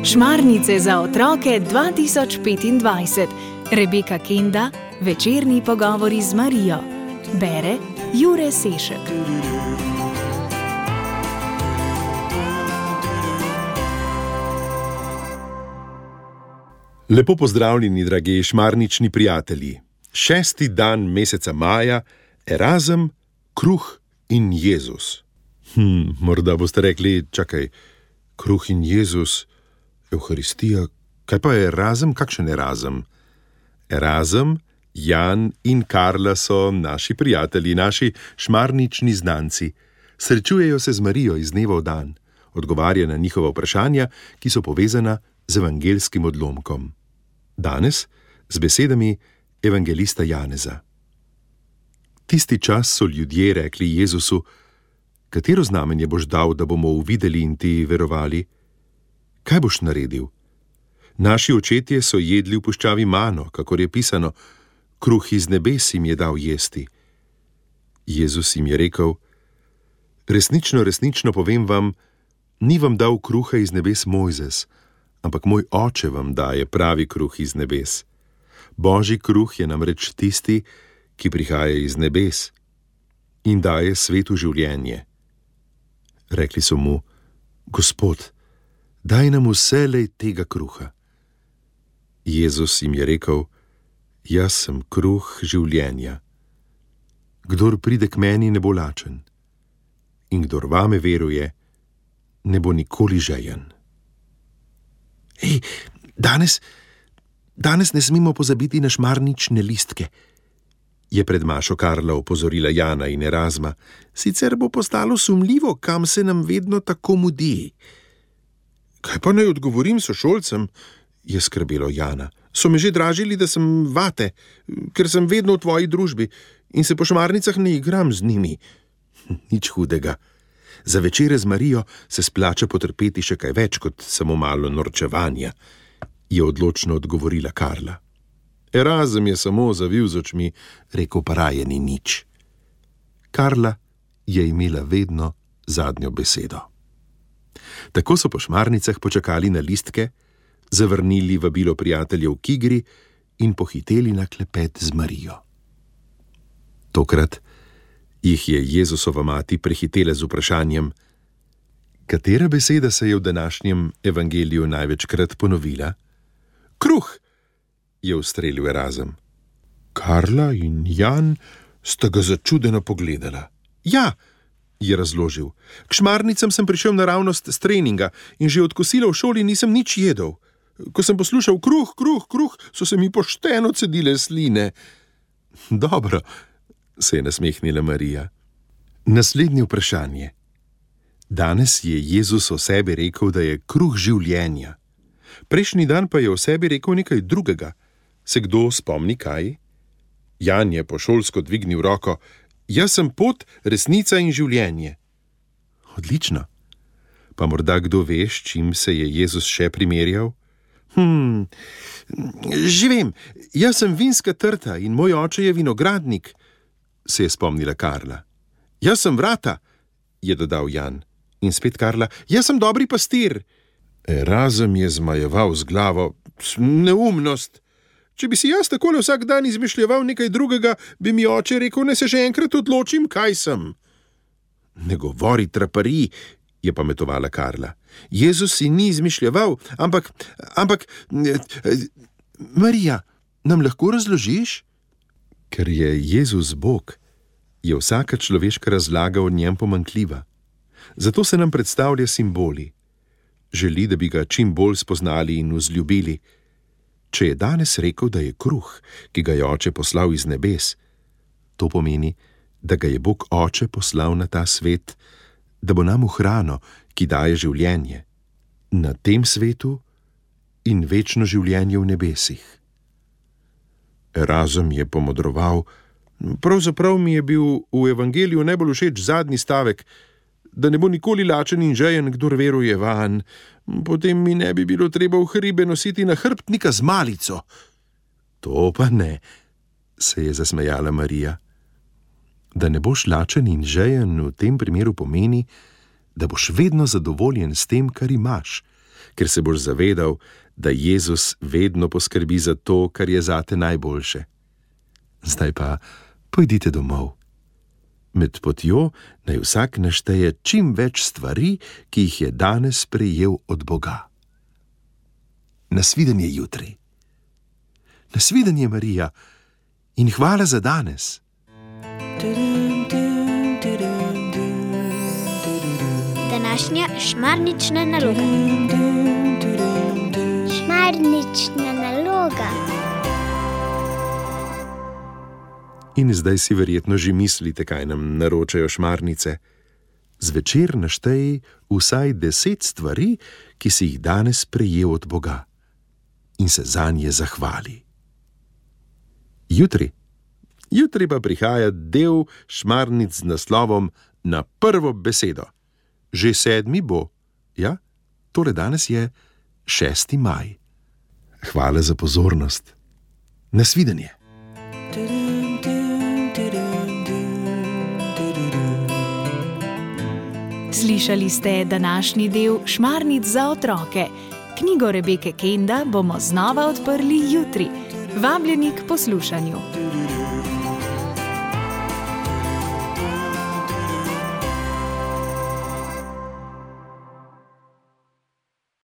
Šmarnice za otroke 2025. Rebeka Kenda, večerni pogovori z Marijo. Bere Jure Sešek. Lepo pozdravljeni, dragi šmarnični prijatelji. 6. dan meseca maja, Erazem, kruh in Jezus. Morda boste rekli, čakaj, kruh in Jezus, Evharistija, kaj pa je Erazem, kakšen Erazem? Erazem, Jan in Karla so naši prijatelji, naši šmarnični znanci. Srečujejo se z Marijo iz dneva v dan, odgovarja na njihova vprašanja, ki so povezana z evangelskim odlomkom. Danes z besedami evangelista Janeza. Tisti čas so ljudje rekli Jezusu: katero znamenje boš dal, da bomo uvideli in ti verovali? Kaj boš naredil? Naši očetje so jedli v puščavi mano, kakor je pisano, kruh iz nebes jim je dal jesti. Jezus jim je rekel: resnično, resnično povem vam, ni vam dal kruha iz nebes Mojzes, ampak moj oče vam daje pravi kruh iz nebes. Božji kruh je namreč tisti, ki prihaja iz nebes in daje svetu življenje. Rekli so mu: Gospod, daj nam vselej tega kruha. Jezus jim je rekel: jaz sem kruh življenja. Kdor pride k meni, ne bo lačen, in kdor vame veruje, ne bo nikoli žejen. Ej, danes ne smemo pozabiti na šmarnične listke, je pred mašo Karla opozorila Jana in Erazma, sicer bo postalo sumljivo, kam se nam vedno tako mudi. Kaj pa naj odgovorim sošolcem, je skrbelo Jana. So me že dražili, da sem vate, ker sem vedno v tvoji družbi in se po šmarnicah ne igram z njimi. Nič hudega. Za večere z Marijo se splača potrpeti še kaj več kot samo malo norčevanja, je odločno odgovorila Karla. Erazem je samo zavil z očmi, rekel pa raje ni nič. Karla je imela vedno zadnjo besedo. Tako so po šmarnicah počakali na listke, zavrnili vabilo prijateljev k igri in pohiteli na klepet z Marijo. Tokrat jih je Jezusova mati prehitela z vprašanjem: katera beseda se je v današnjem evangeliju največkrat ponovila? Kruh, je ustrelil Erazem. Karla in Jan sta ga začudeno pogledala. Ja, je razložil, k šmarnicam sem prišel naravnost s treninga in že od kosila v šoli nisem nič jedel. Ko sem poslušal kruh, kruh, kruh, so se mi pošteno cedile sline. Dobro, se je nasmehnila Marija. Naslednje vprašanje. Danes je Jezus o sebi rekel, da je kruh življenja. Prejšnji dan pa je o sebi rekel nekaj drugega. Se kdo spomni kaj? Jan je pošolsko dvignil roko: jaz sem pot, resnica in življenje. Odlično. Pa morda kdo ve, s čim se je Jezus še primerjal? Že vem, jaz sem vinska trta in moj oče je vinogradnik, se je spomnila Karla. Jaz sem vrata, je dodal Jan. In spet Karla: jaz sem dobri pastir. Erazem je zmajeval z glavo: neumnost. Če bi si jaz takole vsak dan izmišljeval nekaj drugega, bi mi oče rekel, naj se že enkrat odločim, kaj sem. Ne govori traparij, je pametovala Karla. Jezus si ni izmišljeval, ampak, Marija, nam lahko razložiš? Ker je Jezus Bog, je vsaka človeška razlaga o njem pomanjkljiva. Zato se nam predstavlja simboli. Želi, da bi ga čim bolj spoznali in vzljubili. Če je danes rekel, da je kruh, ki ga je oče poslal iz nebes, to pomeni, da ga je Bog oče poslal na ta svet, da bo nam v hrano, ki daje življenje, na tem svetu in večno življenje v nebesih. Erazem je pomodroval: pravzaprav mi je bil v evangeliju najbolj všeč zadnji stavek, da ne bo nikoli lačen in žejen, kdor veruje vanj. Potem mi ne bi bilo treba v hribe nositi na hrbtnika z malico. To pa ne, se je zasmejala Marija. Da ne boš lačen in žejen v tem primeru pomeni, da boš vedno zadovoljen s tem, kar imaš, ker se boš zavedal, da Jezus vedno poskrbi za to, kar je zate najboljše. Zdaj pa pojdite domov. Med potjo naj vsak našteje čim več stvari, ki jih je danes prejel od Boga. Nasvidenje jutri. Nasvidenje, Marija, in hvala za danes. Današnja šmarnična naloga. Šmarnična naloga. In zdaj si verjetno že mislite, kaj nam naročajo šmarnice. Zvečer naštej vsaj 10 stvari, ki si jih danes prejel od Boga, in se zanje zahvali. Jutri pa prihaja del šmarnic z naslovom Na prvo besedo. Že 7. bo, ja, torej danes je 6. maj. Hvala za pozornost. Nasvidenje. Slišali ste današnji del Šmarnic za otroke. Knjigo Rebeke Kenda bomo znova odprli jutri. Vabljeni k poslušanju.